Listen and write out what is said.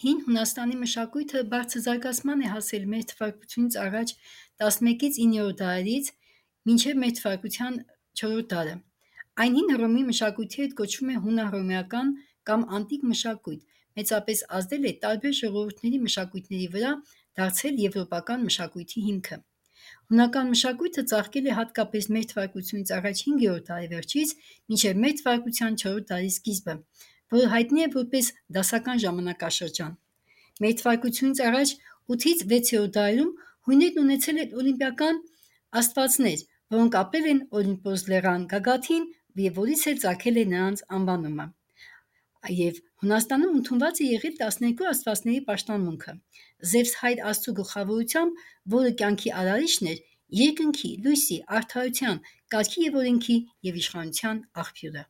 Հին Հունաստանի մշակույթը բարձր զարգացման է հասել մեր թվարկությունից առաջ 11-ից 9-րդ դարերից մինչև մեր թվարկության 4-րդ դարը։ Այն հին Հռոմի մշակույթի հետ կոչվում է հունահռոմեական կամ անտիկ մշակույթ, մեծապես ազդել է տարբեր ժողովուրդների մշակույթների վրա, դարձել եվրոպական մշակույթի հիմքը։ Հունական մշակույթը ծաղկել է հատկապես մեր թվարկությունից առաջ 5-րդ տարեվերջից մինչև մեր թվարկության 4-րդ դարի սկիզբը, որը հայտնի է որպես դասական ժամանակաշրջան։ Մեր թվարկությունից առաջ 8-ից 6-րդ դարերում հույներն ունեցել են օլիմպիական աստվածներ, որոնք ապրել են Օլիմպոս լեռան գագաթին և որից էլ ծագել է նրանց անվանումը։ Եվ Հունաստանում ընդունված է եղել 12 աստվածների պաշտամունքը՝ Զևս հայր աստծու գլխավորությամբ, որը կյանքի արարիչն էր, երկնքի, լույսի, արդարության, կարգի և օրենքի և իշխանության աղբյուրը։